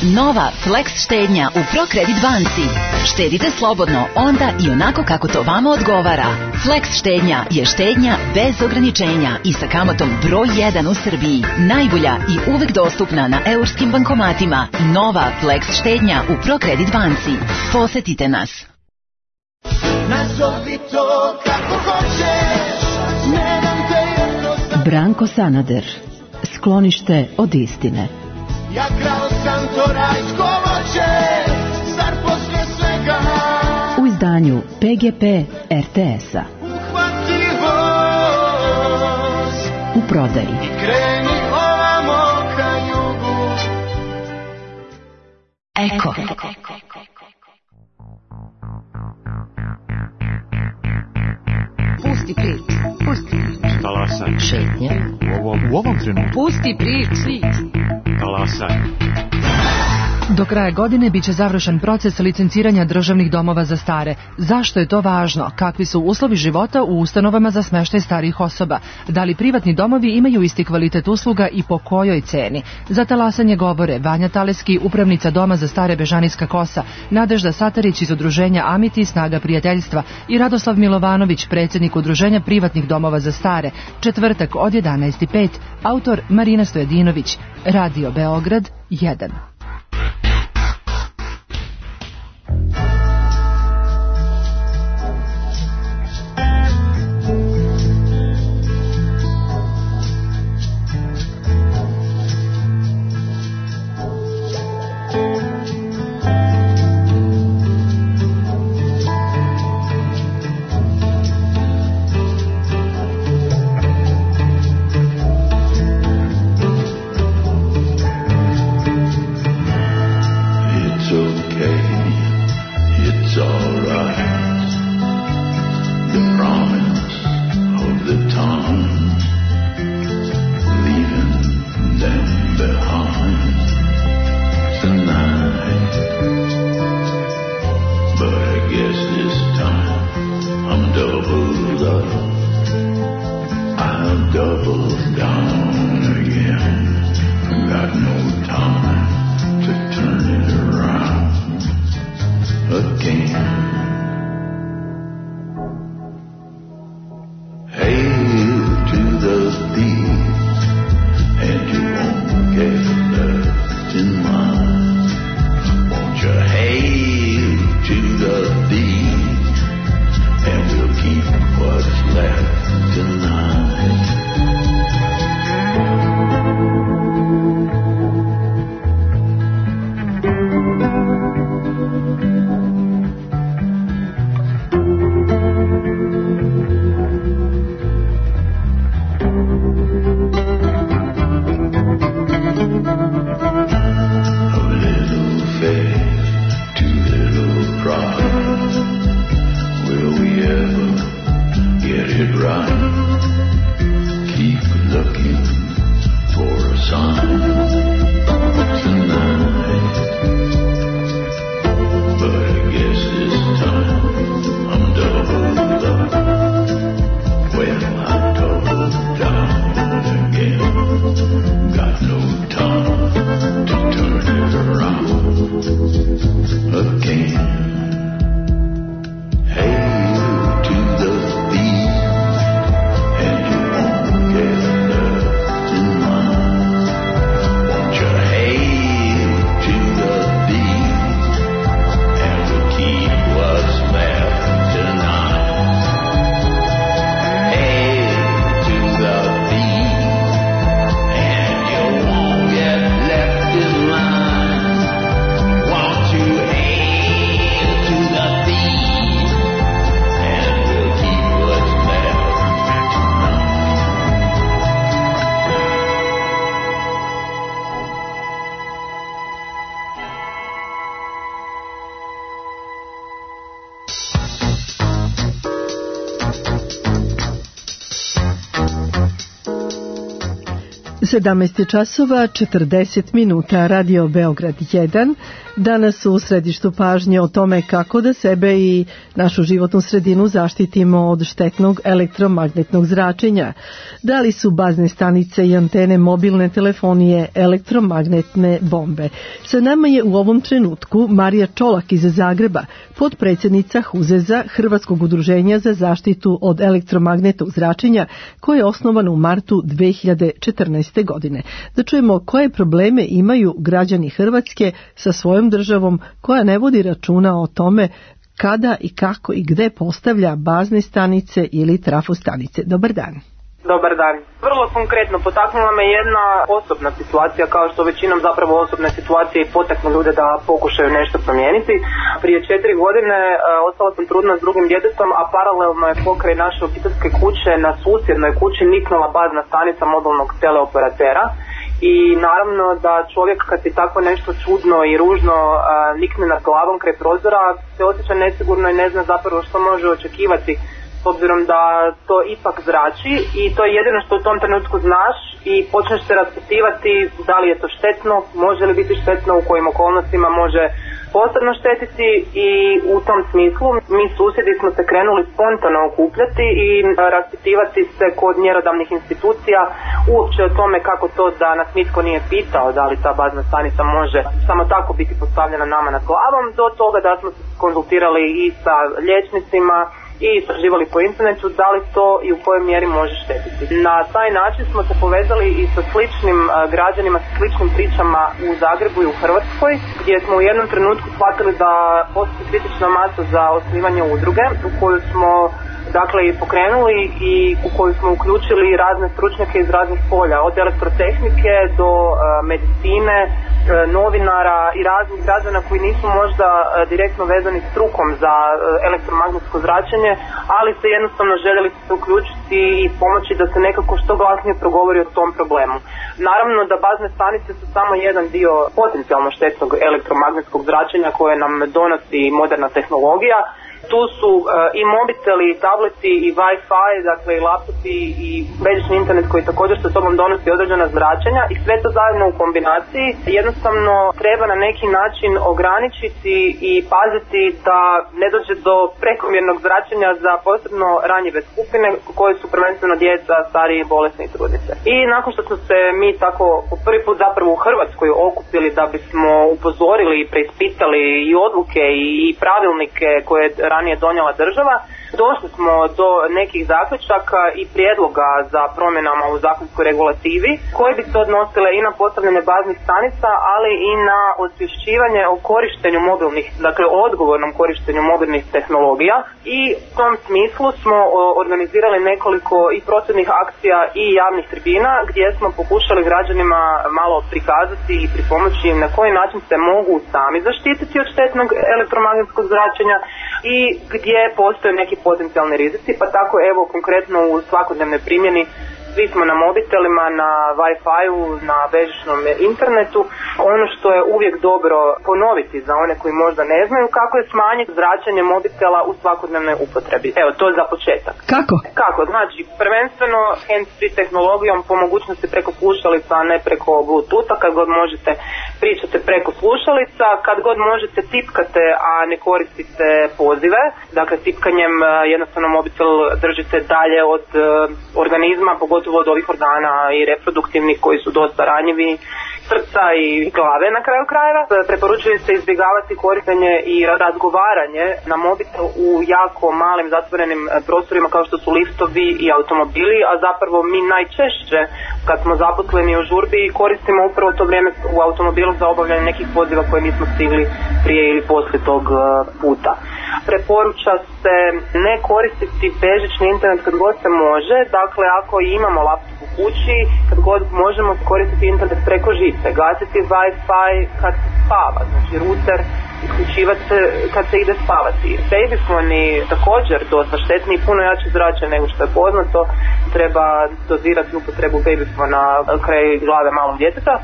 Speaker 16: Nova Flex štednja u ProCredit banci. Štedite slobodno onda i onako kako to vama odgovara. Flex štednja je štednja bez ograničenja i sa kamatom broj 1 u Srbiji. Najbolja i uvek dostupna na eurskim bankomatima. Nova Flex štednja u ProCredit banci. Posetite nas.
Speaker 12: Nazovi to kako hoćeš, ne dam te jednostavno.
Speaker 17: Branko Sanader, sklonište od istine.
Speaker 12: Ja krao sam to rajsko voće, zar posle svega
Speaker 17: u izdanju PGP RTS-a.
Speaker 12: Uhvati voz
Speaker 17: u prodaji
Speaker 12: i kreni ovamo ka jugu.
Speaker 16: Eko.
Speaker 14: Pusti prič.
Speaker 18: Talasaj.
Speaker 14: Šetnje.
Speaker 18: U ovom trenutku.
Speaker 14: Pusti prič.
Speaker 18: Talasaj.
Speaker 19: Do kraja godine biće završen proces licenciranja državnih domova za stare. Zašto je to važno? Kakvi su uslovi života u ustanovama za smeštaj starijih osoba? Da li privatni domovi imaju isti kvalitet usluga i po kojoj ceni? Za talasanje govore Vanja Taleski, upravnica Doma za stare Bežanijska Kosa, Nadežda Satarić iz udruženja Amiti Snaga prijateljstva i Radoslav Milovanović, predsjednik udruženja privatnih domova za stare. Četvrtak od 11:05. Autor Marina Stojadinović. Radio Beograd 1.
Speaker 3: 17 časova 40 minuta, Radio Beograd 1. Danas u središtu pažnje o tome kako da sebe i našu životnu sredinu zaštitimo od štetnog elektromagnetnog zračenja. Da li su bazne stanice i antene mobilne telefonije elektromagnetne bombe? Sa nama je u ovom trenutku Marija Čolak iz Zagreba, potpredsjednica HUZEZ-a, Hrvatskog udruženja za zaštitu od elektromagnetnog zračenja, koje je osnovano u martu 2014. godine. Da čujemo koje probleme imaju građani Hrvatske sa svojom državom koja ne vodi računa o tome kada i kako i gde postavlja bazne stanice ili trafostanice. Dobar dan.
Speaker 20: Dobar dan. Vrlo konkretno potaknula me jedna osobna situacija, kao što većinom zapravo osobne situacije i potaknu ljude da pokušaju nešto promijeniti. Prije 4 godine ostala sam trudna s drugim djetetom, a paralelno je pokraj naše obiteljske kuće na susjednoj kući niknula bazna stanica mobilnog teleoperatera. I naravno da čovjek kad ti tako nešto čudno i ružno nikne nad glavom kraj prozora se osjeća nesigurno i ne zna zapravo što može očekivati, s obzirom da to ipak zrači i to je jedino što u tom trenutku znaš i počneš se raspitivati da li je to štetno, može li biti štetno, u kojim okolnostima može posebno štetiti. I u tom smislu mi susjedi smo se krenuli spontano okupljati i raspitivati se kod mjerodavnih institucija uopće o tome kako to da nas nitko nije pitao da li ta bazna stanica može samo tako biti postavljena nama nad glavom, do toga da smo se konzultirali i sa liječnicima i istraživali po internetu da li to i u kojoj mjeri može štetiti. Na taj način smo se povezali i sa sličnim građanima, sa sličnim pričama u Zagrebu i u Hrvatskoj, gdje smo u jednom trenutku shvatili da postoji kritična masa za osnivanje udruge u koju smo dakle i pokrenuli i u koju smo uključili razne stručnjake iz raznih polja, od elektrotehnike do medicine, novinara i raznih građana koji nisu možda direktno vezani strukom za elektromagnetsko zračenje, ali se jednostavno željeli se uključiti i pomoći da se nekako što glasnije progovori o tom problemu. Naravno da bazne stanice su samo jedan dio potencijalno štetnog elektromagnetskog zračenja koje nam donosi moderna tehnologija. Tu su i mobiteli, i tableti, i Wi-Fi, dakle i laptopi i bežični internet koji također sa sobom donosi određena zračenja i sve to zajedno u kombinaciji jednostavno treba na neki način ograničiti i paziti da ne dođe do prekomjernog zračenja za posebno ranjive skupine koje su prvenstveno djeca, stariji, bolesni i trudnice. I nakon što smo se mi tako po prvi put zapravo u Hrvatskoj okupili da bismo upozorili i preispitali i odluke i pravilnike koje ranije donijela država, došli smo do nekih zaključaka i prijedloga za promjenama u zakonskoj regulativi koje bi se odnosile i na postavljanje baznih stanica, ali i na osvješćivanje o korištenju mobilnih, dakle odgovornom korištenju mobilnih tehnologija. I u tom smislu smo organizirali nekoliko i prosvjednih akcija i javnih tribina gdje smo pokušali građanima malo prikazati i pripomoći im na koji način se mogu sami zaštititi od štetnog elektromagnetskog zračenja i gdje postoje neki potencijalni rizici, pa tako evo konkretno u svakodnevnoj primjeni svi smo na mobitelima, na Wi-Fi-u, na bežičnom internetu. Ono što je uvijek dobro ponoviti za one koji možda ne znaju kako je smanjiti zračenje mobitela u svakodnevnoj upotrebi. Evo, to je za početak. Kako? Znači, prvenstveno hands-free tehnologijom, po mogućnosti preko slušalica, a ne preko Bluetootha, kad god možete pričate preko slušalica, kad god možete tipkate, a ne koristite pozive. Dakle, tipkanjem jednostavno mobitel držite dalje od organizma, pogotovo od ovih organa i reproduktivnih koji su dosta ranjivi, srca i glave na kraju krajeva. Preporučuje se izbjegavati korištenje i razgovaranje na mobitel u jako malim zatvorenim prostorima kao što su liftovi i automobili, a zapravo mi najčešće kad smo zaposleni u žurbi koristimo upravo to vrijeme u automobilu za obavljanje nekih poziva koje nismo stigli prije ili poslije tog puta. Preporuča se ne koristiti bežični internet kad god se može, dakle ako imamo laptop u kući, kad god možemo koristiti internet preko žice, gasiti Wi-Fi kad se spava, znači router isključivati se kad se ide spavati. Babyfoni također dosta štetni i puno jače zrače nego što je poznato, treba dozirati upotrebu babyfona kraj glave malog djeteta.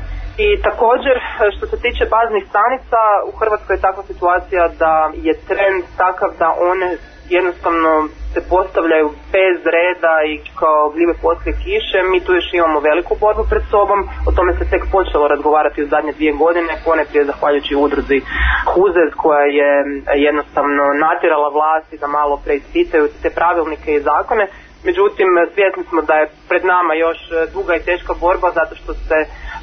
Speaker 20: I također što se tiče baznih stanica, u Hrvatskoj je takva situacija da je trend takav da one jednostavno se postavljaju bez reda i kao gljive poslije kiše. Mi tu još imamo veliku borbu pred sobom, o tome se tek počelo razgovarati u zadnje 2 godine, ponajprije zahvaljujući udruzi HUZEZ koja je jednostavno natjerala vlasti da malo preispitaju te pravilnike i zakone. Međutim, svjesni smo da je pred nama još duga i teška borba zato što se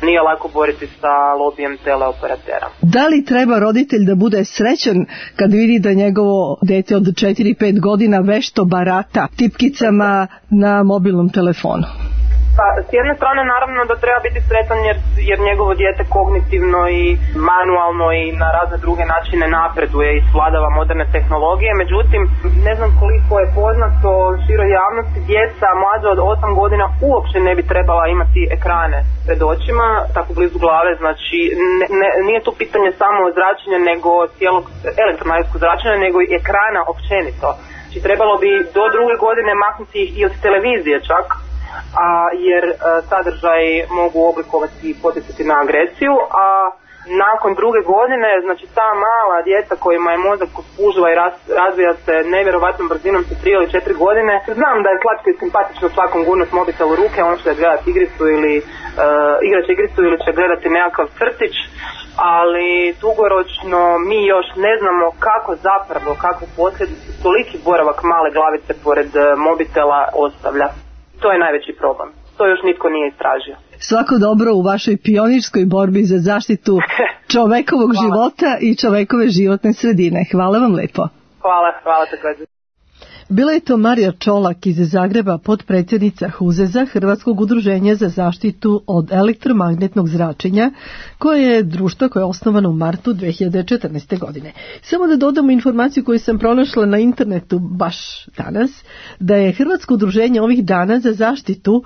Speaker 20: nije lako boriti sa lobijem teleoperatera.
Speaker 3: Da li treba roditelj da bude srećan kad vidi da njegovo dete od 4-5 godina vešto barata tipkicama na mobilnom telefonu?
Speaker 20: Pa, s jedne strane naravno da treba biti sretan jer njegovo dijete kognitivno i manualno i na razne druge načine napreduje i svladava moderne tehnologije, međutim ne znam koliko je poznato široj javnosti, djeca mlađa od 8 godina uopće ne bi trebala imati ekrane pred očima, tako blizu glave, znači nije tu pitanje samo zračenja nego cijelog elektromagnetskog zračenja, nego i ekrana općenito. Znači trebalo bi do 2. godine maknuti ih i od televizije čak, jer sadržaj mogu oblikovati i poticati na agresiju, a nakon 2. godine, znači ta mala djeca kojima je mozak spužva i razvija se nevjerovatnom brzinom sa 3 ili 4 godine, znam da je slatko i simpatično svakom gurnut mobitel u ruke, on će gledati igricu ili igraće igricu ili će gledati nekakav crtić, ali dugoročno mi još ne znamo kako zapravo, kakve posljedice toliki boravak male glavice pored mobitela ostavlja. To je najveći problem. To još nitko nije istražio.
Speaker 3: Svako dobro u vašoj pionirskoj borbi za zaštitu čovekovog života i čovekove životne sredine. Hvala vam lepo.
Speaker 20: Hvala također.
Speaker 3: Bila je to Marija Čolak iz Zagreba, potpredsjednica HUZEZ-a, Hrvatskog udruženja za zaštitu od elektromagnetnog zračenja, koje je društvo koje je osnovano u martu 2014. godine. Samo da dodamo informaciju koju sam pronašla na internetu baš danas, da je Hrvatsko udruženje ovih dana za zaštitu,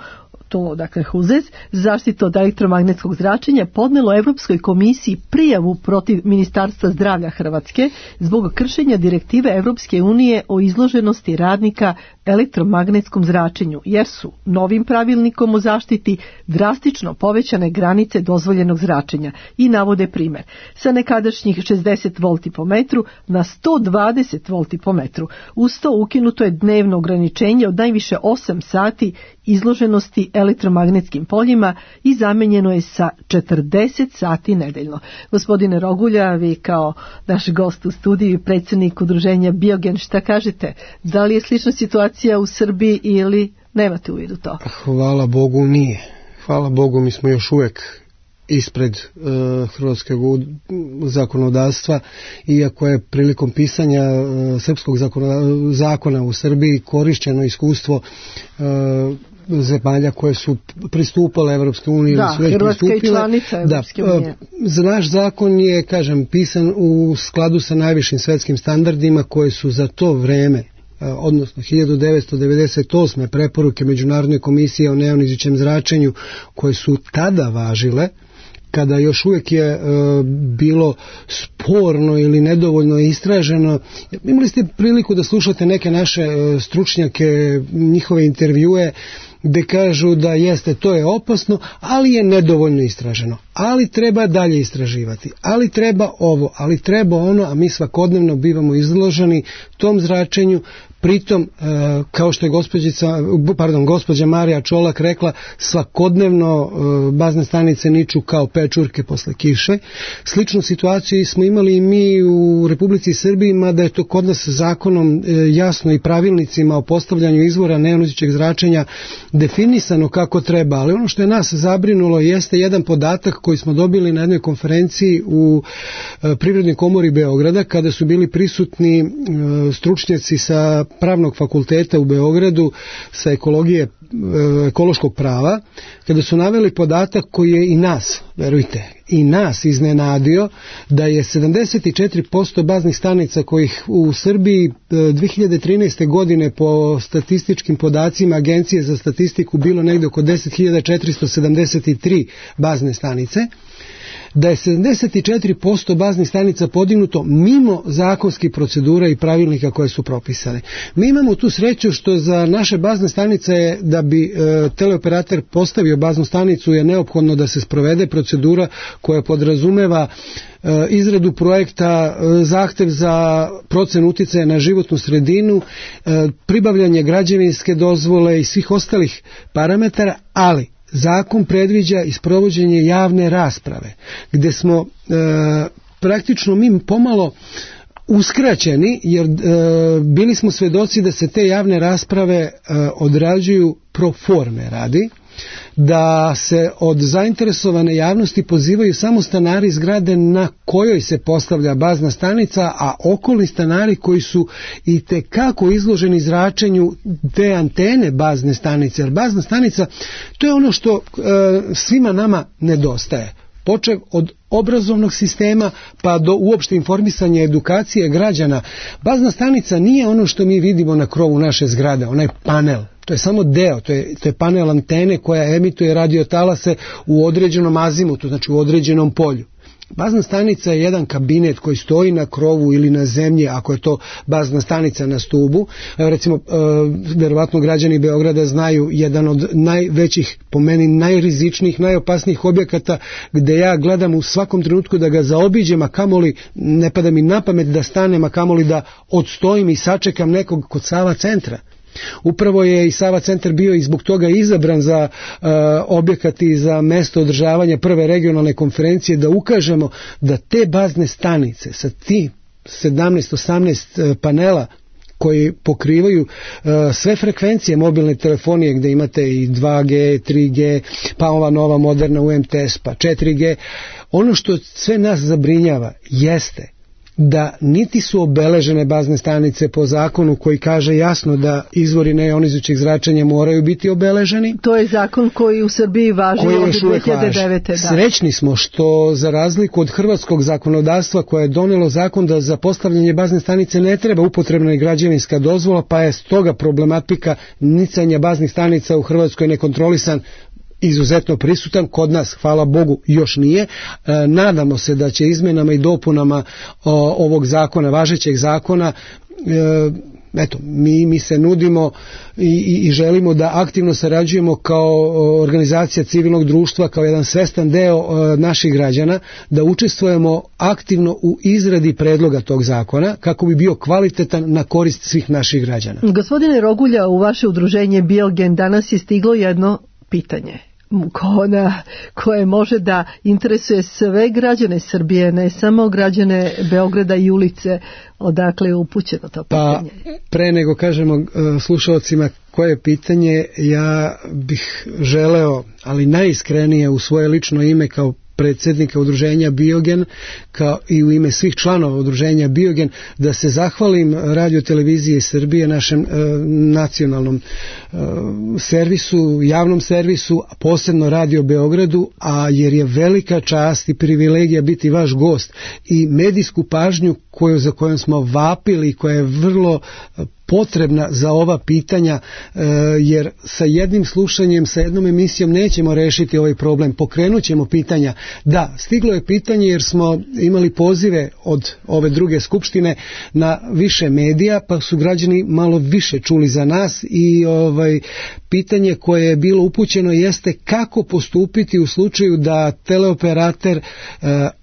Speaker 3: to dakle HUZEZ, zaštitu od elektromagnetskog zračenja, podnelo Europskoj komisiji prijavu protiv Ministarstva zdravlja Hrvatske zbog kršenja direktive Europske unije o izloženosti radnika elektromagnetskom zračenju, jer su novim pravilnikom o zaštiti drastično povećane granice dozvoljenog zračenja i navode primjer. Sa nekadašnjih 60 volti po metru na 120 volti po metru. Uz to ukinuto je dnevno ograničenje od najviše 8 sati izloženosti elektromagnetskim poljima i zamenjeno je sa 40 sati nedeljno. Gospodine Rogulja, vi kao naš gost u studiju i predsjednik udruženja Biogen, šta kažete? Da li je slična situacija u Srbiji ili nemate u vidu to?
Speaker 5: Hvala Bogu nije. Hvala Bogu mi smo još uvijek ispred hrvatskog zakonodavstva, iako je prilikom pisanja srpskog zakona u Srbiji korišćeno iskustvo zemalja koje su pristupale Evropskoj uniji.
Speaker 3: Da, Hrvatska je članica Evropske unije.
Speaker 5: Naš zakon je, kažem, pisan u skladu sa najvišim svetskim standardima koje su za to vreme, odnosno 1998. preporuke Međunarodne komisije o neonizujućem zračenju koje su tada važile, kada još uvijek je bilo sporno ili nedovoljno istraženo. Imali ste priliku da slušate neke naše stručnjake, njihove intervjue, gdje kažu da jeste, to je opasno, ali je nedovoljno istraženo. Ali treba dalje istraživati. Ali treba ovo, ali treba ono, a mi svakodnevno bivamo izloženi tom zračenju. Pritom, kao što je gospođa Marija Čolak rekla, svakodnevno bazne stanice niču kao pečurke posle kiše. Sličnu situaciju smo imali i mi u Republici Srbiji, mada je to kod nas zakonom jasno i pravilnicima o postavljanju izvora neonizujućeg zračenja definisano kako treba. Ali ono što je nas zabrinulo jeste jedan podatak koji smo dobili na jednoj konferenciji u Privrednoj komori Beograda, kada su bili prisutni stručnjaci sa Pravnog fakulteta u Beogradu sa ekološkog prava, kada su naveli podatak koji je i nas, verujte, i nas iznenadio, da je 74% baznih stanica kojih u Srbiji 2013. godine po statističkim podacima Agencije za statistiku bilo negdje oko 10.473 bazne stanice, da je 74% baznih stanica podignuto mimo zakonskih procedura i pravilnika koje su propisane. Mi imamo tu sreću što za naše bazne stanice je, da bi teleoperater postavio baznu stanicu, je neophodno da se sprovede procedura koja podrazumeva izradu projekta, zahtev za procenu uticaja na životnu sredinu, pribavljanje građevinske dozvole i svih ostalih parametara, ali zakon predviđa i sprovođenje javne rasprave, gdje smo praktično mi pomalo uskraćeni, jer bili smo svedoci da se te javne rasprave odrađuju pro forme radi, da se od zainteresovane javnosti pozivaju samo stanari zgrade na kojoj se postavlja bazna stanica, a okolni stanari koji su itekako izloženi zračenju te antene bazne stanice. Jer bazna stanica, to je ono što svima nama nedostaje. Počev od obrazovnog sistema pa do uopšte informisanja edukacije građana. Bazna stanica nije ono što mi vidimo na krovu naše zgrade, onaj panel. To je samo deo, to je panel antene koja emituje radiotalase u određenom azimutu, znači u određenom polju. Bazna stanica je jedan kabinet koji stoji na krovu ili na zemlji, ako je to bazna stanica na stubu. Recimo, verovatno građani Beograda znaju jedan od najvećih, po meni najrizičnijih, najopasnijih objekata gdje ja gledam u svakom trenutku da ga zaobiđem, a kamoli ne pada mi na pamet da stanem, a kamoli da odstojim i sačekam nekog kod Sava centra. Upravo je i Sava centar bio i zbog toga izabran za objekat i za mesto održavanja prve regionalne konferencije, da ukažemo da te bazne stanice sa ti 17-18 panela koji pokrivaju sve frekvencije mobilne telefonije, gdje imate i 2G, 3G, pa ova nova moderna UMTS, pa 4G. Ono što sve nas zabrinjava jeste da niti su obeležene bazne stanice po zakonu koji kaže jasno da izvori neionizujućeg zračenja moraju biti obeleženi.
Speaker 3: To je zakon koji u Srbiji važi od 2009. Da.
Speaker 5: Srećni smo što za razliku od hrvatskog zakonodavstva koje je donelo zakon da za postavljanje bazne stanice ne treba upotrebna i građevinska dozvola, pa je stoga problematika nicanja baznih stanica u Hrvatskoj nekontrolisan izuzetno prisutan. Kod nas, hvala Bogu, još nije. Nadamo se da će izmjenama i dopunama ovog zakona, važećeg zakona, mi se nudimo i želimo da aktivno sarađujemo kao organizacija civilnog društva, kao jedan svestan deo naših građana, da učestvujemo aktivno u izradi predloga tog zakona kako bi bio kvalitetan na korist svih naših građana.
Speaker 3: Gospodine Rogulja, u vaše udruženje Biogen danas je stiglo jedno pitanje koje može da interesuje sve građane Srbije, ne samo građane Beograda i ulice, odakle je upućeno to pitanje.
Speaker 5: Pa, pre nego kažemo slušalcima koje je pitanje, ja bih želeo, ali najiskrenije u svoje lično ime kao predsjednika udruženja Biogen, kao i u ime svih članova udruženja Biogen, da se zahvalim Radio televizije Srbije, našem nacionalnom servisu, javnom servisu, a posebno Radio Beogradu, a jer je velika čast i privilegija biti vaš gost i medijsku pažnju za kojom smo vapili i koja je vrlo potrebna za ova pitanja, jer sa jednim slušanjem, sa jednom emisijom nećemo rešiti ovaj problem. Pokrenut ćemo pitanja. Da, stiglo je pitanje jer smo imali pozive od ove druge skupštine na više medija, pa su građani malo više čuli za nas i pitanje koje je bilo upućeno jeste kako postupiti u slučaju da teleoperater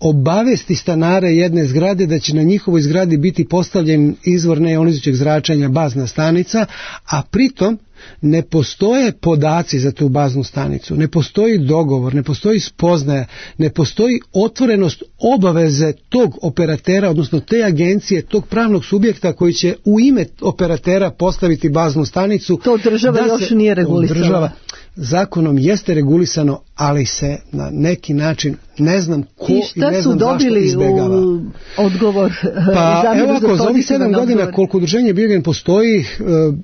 Speaker 5: obavesti stanare jedne zgrade da će na njihovoj zgradi biti postavljen izvor neionizujućeg zračenja, bazna stanica, a pritom ne postoje podaci za tu baznu stanicu, ne postoji dogovor, ne postoji spoznaja, ne postoji otvorenost obaveze tog operatera, odnosno te agencije, tog pravnog subjekta koji će u ime operatera postaviti baznu stanicu.
Speaker 3: To država još nije regulisala.
Speaker 5: Zakonom jeste regulisano, ali se na neki način ne znam ko i ne znam zašto izbjegava.
Speaker 3: U odgovor?
Speaker 5: Pa evo ako za ovih 7 godina koliko udruženje Biogen postoji,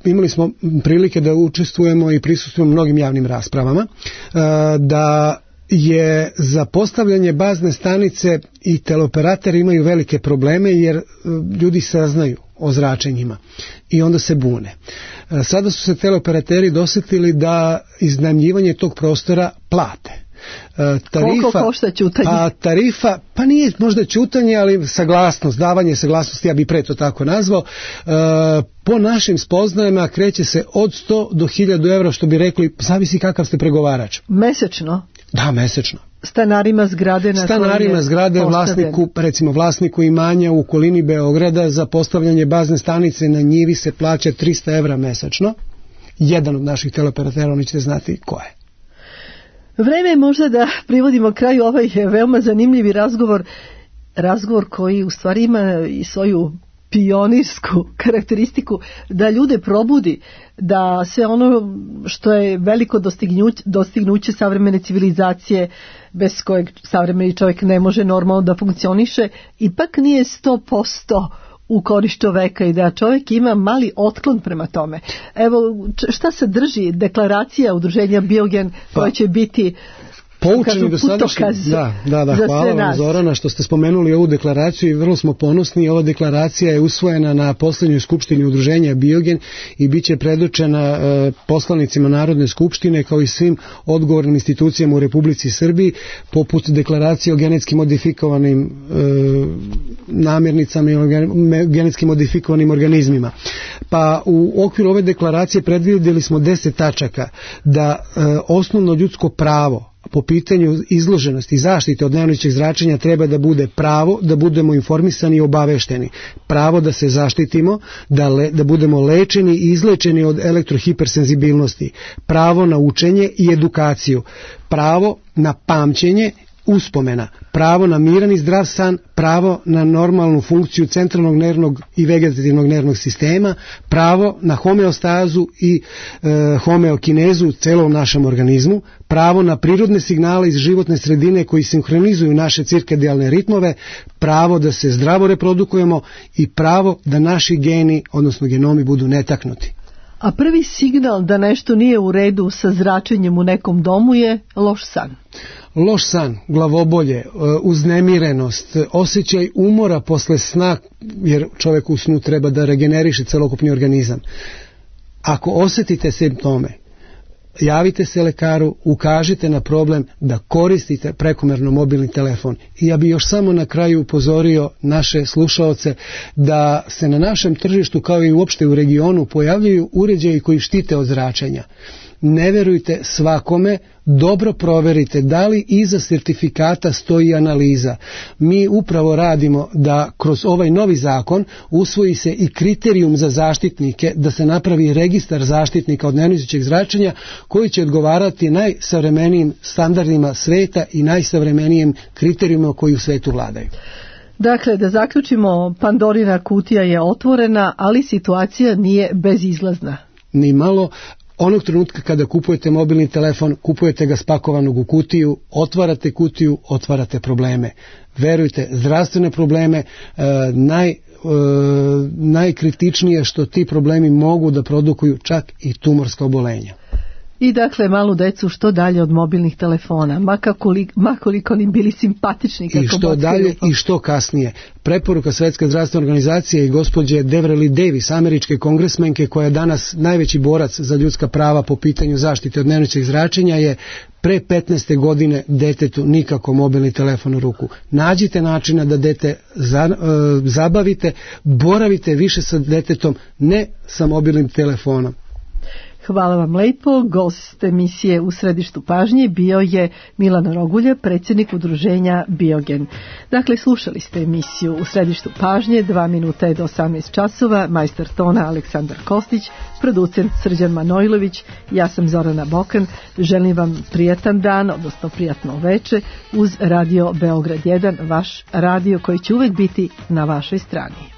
Speaker 5: imali smo prilike da učestvujemo i prisustvujemo mnogim javnim raspravama, da je za postavljanje bazne stanice i teleoperateri imaju velike probleme jer ljudi saznaju o zračenjima i onda se bune. Sada su se teleoperateri dosjetili da iznajmljivanje tog prostora plate.
Speaker 3: Koliko košta ćutanje?
Speaker 5: Tarifa, pa nije možda ćutanje, ali saglasnost, davanje saglasnosti, ja bi pre to tako nazvao, po našim spoznajama kreće se od 100 do 1000 evra, što bi rekli, zavisi kakav ste pregovarač.
Speaker 3: Mesečno?
Speaker 5: Da, mesečno.
Speaker 3: Stanarima zgrade
Speaker 5: vlasniku, recimo vlasniku imanja u okolini Beograda, za postavljanje bazne stanice na njivi se plaća 300 evra mesečno. Jedan od naših teleoperatera, oni ćete znati ko je.
Speaker 3: Vreme je možda da privodimo kraju ovaj veoma zanimljivi razgovor koji u stvari ima i svoju pionirsku karakteristiku, da ljude probudi, da sve ono što je veliko dostignuće savremene civilizacije, bez kojeg savremeni čovjek ne može normalno da funkcioniše, ipak nije 100% u korist čoveka i da čovjek ima mali otklon prema tome. Evo, šta sadrži deklaracija udruženja Biogen koja će biti
Speaker 5: poučeni dosadašnji, hvala vam Zorana što ste spomenuli ovu deklaraciju i vrlo smo ponosni. Ova deklaracija je usvojena na posljednjoj skupštini udruženja Biogen i bit će predočena poslanicima Narodne skupštine kao i svim odgovornim institucijama u Republici Srbiji, poput deklaracije o genetski modifikovanim namirnicama i genetski modifikovanim organizmima. Pa u okviru ove deklaracije predvidjeli smo 10 tačaka da osnovno ljudsko pravo po pitanju izloženosti i zaštite od neionizirajućeg zračenja treba da bude pravo da budemo informisani i obavešteni, pravo da se zaštitimo, da budemo lečeni i izlečeni od elektrohipersenzibilnosti, pravo na učenje i edukaciju, pravo na pamćenje, uspomena, pravo na miran i zdrav san, pravo na normalnu funkciju centralnog nervnog i vegetativnog nervnog sistema, pravo na homeostazu i homeokinezu u celom našem organizmu, pravo na prirodne signale iz životne sredine koji sinhronizuju naše cirkadijalne ritmove, pravo da se zdravo reprodukujemo i pravo da naši geni, odnosno genomi, budu netaknuti.
Speaker 3: A prvi signal da nešto nije u redu sa zračenjem u nekom domu je loš san.
Speaker 5: Loš san, glavobolje, uznemirenost, osjećaj umora posle sna, jer čovjek u snu treba da regeneriše celokupni organizam. Ako osjetite simptome, javite se lekaru, ukažite na problem da koristite prekomerno mobilni telefon. I ja bih još samo na kraju upozorio naše slušaoce da se na našem tržištu kao i uopšte u regionu pojavljaju uređaji koji štite od zračenja. Ne verujte svakome, dobro proverite da li iza sertifikata stoji analiza. Mi upravo radimo da kroz ovaj novi zakon usvoji se i kriterijum za zaštitnike, da se napravi registar zaštitnika od neionizirajućeg zračenja koji će odgovarati najsavremenijim standardima sveta i najsavremenijim kriterijima koji u svetu vladaju.
Speaker 3: Dakle, da zaključimo, Pandorina kutija je otvorena, ali situacija nije bezizlazna.
Speaker 5: Ni malo. Onog trenutka kada kupujete mobilni telefon, kupujete ga spakovanog u kutiju, otvarate kutiju, otvarate probleme. Verujte, zdravstvene probleme, najkritičnije što ti problemi mogu da produkuju čak i tumorska obolenja.
Speaker 3: I dakle, malu decu što dalje od mobilnih telefona, makoliko im bili simpatični.
Speaker 5: I što dalje i što kasnije. Preporuka Svetske zdravstvene organizacije i gospođe Deverly Davis, američke kongresmenke koja je danas najveći borac za ljudska prava po pitanju zaštite od neionizirajućeg zračenja, je pre 15. godine detetu nikako mobilni telefon u ruku. Nađite načina da dete zabavite, boravite više sa detetom, ne sa mobilnim telefonom.
Speaker 3: Hvala vam lepo. Gost emisije U središtu pažnje bio je Milan Rogulja, predsjednik udruženja Biogen. Dakle, slušali ste emisiju U središtu pažnje, 2 minuta je do 18 časova, majstor tona Aleksandar Kostić, producent Srđan Manojlović, ja sam Zorana Bokan. Želim vam prijatan dan, odnosno prijatno veče uz Radio Beograd 1, vaš radio koji će uvek biti na vašoj strani.